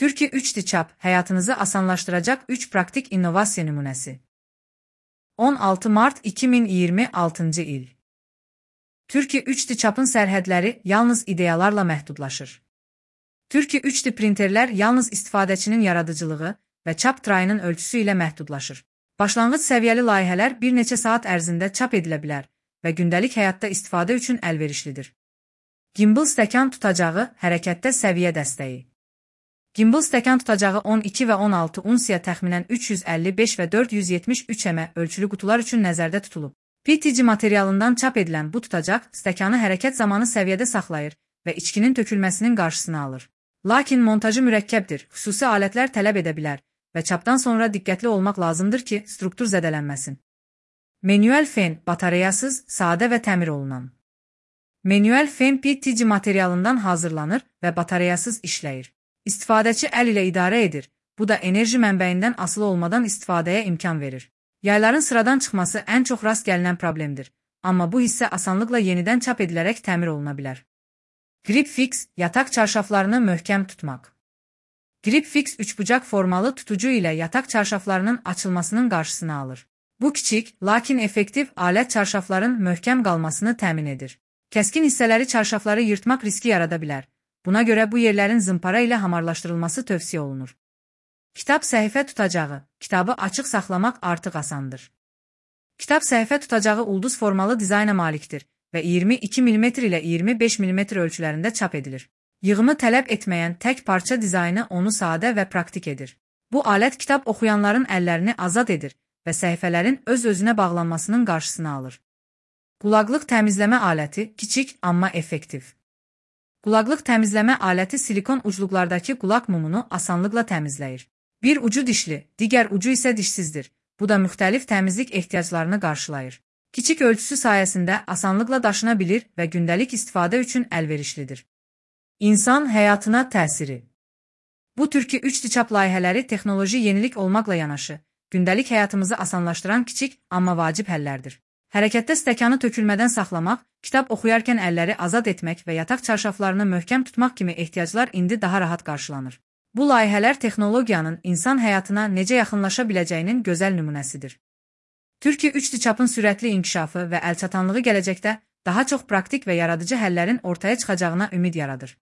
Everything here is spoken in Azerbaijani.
Türkiye 3D çap, hayatınızı asanlaştıracak 3 praktik innovasyon nümunesi. 16 Mart 2026 il. Türkiye 3D çapın sərhədləri yalnız ideyalarla məhdudlaşır. Türkiye 3D printerlər yalnız istifadəçinin yaradıcılığı və çap trayının ölçüsü ilə məhdudlaşır. Başlanğıc səviyyəli layihələr bir neçə saat ərzində çap edilə bilər və gündəlik həyatda istifadə üçün əlverişlidir. Gimbal stəkan tutacağı hərəkətdə səviyyə dəstəyi. Gimbal stəkan tutacağı 12 və 16 unsiya təxminən 355 və 473 ölçülü qutular üçün nəzərdə tutulub. PETG materialından çap edilən bu tutacaq stəkanı hərəkət zamanı səviyyədə saxlayır və içkinin tökülməsinin qarşısını alır. Lakin montajı mürəkkəbdir, xüsusi alətlər tələb edə bilər və çapdan sonra diqqətli olmaq lazımdır ki, struktur zədələnməsin. Manuel fen, batareyasız, sadə və təmir olunan. Manuel fen PETG materialından hazırlanır və batareyasız işləyir. İstifadəçi əl ilə idarə edir, bu da enerji mənbəyindən asılı olmadan istifadəyə imkan verir. Yayların sıradan çıxması ən çox rast gəlinən problemdir, amma bu hissə asanlıqla yenidən çap edilərək təmir oluna bilər. Grip Fix, yataq çarşaflarını möhkəm tutmaq. Grip Fix üçbucaq formalı tutucu ilə yataq çarşaflarının açılmasının qarşısını alır. Bu kiçik, lakin effektiv alət çarşafların möhkəm qalmasını təmin edir. Kəskin hissələri çarşafları yırtmaq riski yarada bilər. Buna görə bu yerlərin zımpara ilə hamarlaşdırılması tövsiyə olunur. Kitab səhifə tutacağı, kitabı açıq saxlamaq artıq asandır. Kitab səhifə tutacağı ulduz formalı dizayna malikdir və 22 mm ilə 25 mm ölçülərində çap edilir. Yığımı tələb etməyən tək parça dizaynı onu sadə və praktik edir. Bu alət kitab oxuyanların əllərini azad edir və səhifələrin öz-özünə bağlanmasının qarşısını alır. Qulaqlıq təmizləmə aləti kiçik, amma effektiv. Qulaqlıq təmizləmə aləti silikon ucluqlardakı qulaq mumunu asanlıqla təmizləyir. Bir ucu dişli, digər ucu isə dişsizdir. Bu da müxtəlif təmizlik ehtiyaclarını qarşılayır. Kiçik ölçüsü sayəsində asanlıqla daşına bilir və gündəlik istifadə üçün əlverişlidir. İnsan həyatına təsiri. Bu Türkiye 3D çap layihələri texnoloji yenilik olmaqla yanaşı, gündəlik həyatımızı asanlaşdıran kiçik, amma vacib həllərdir. Hərəkətdə stəkanı tökülmədən saxlamaq, kitab oxuyarkən əlləri azad etmək və yataq çarşaflarını möhkəm tutmaq kimi ehtiyaclar indi daha rahat qarşılanır. Bu layihələr texnologiyanın insan həyatına necə yaxınlaşa biləcəyinin gözəl nümunəsidir. Türkiye 3D çapın sürətli inkişafı və əlçatanlığı gələcəkdə daha çox praktik və yaradıcı həllərin ortaya çıxacağına ümid yaradır.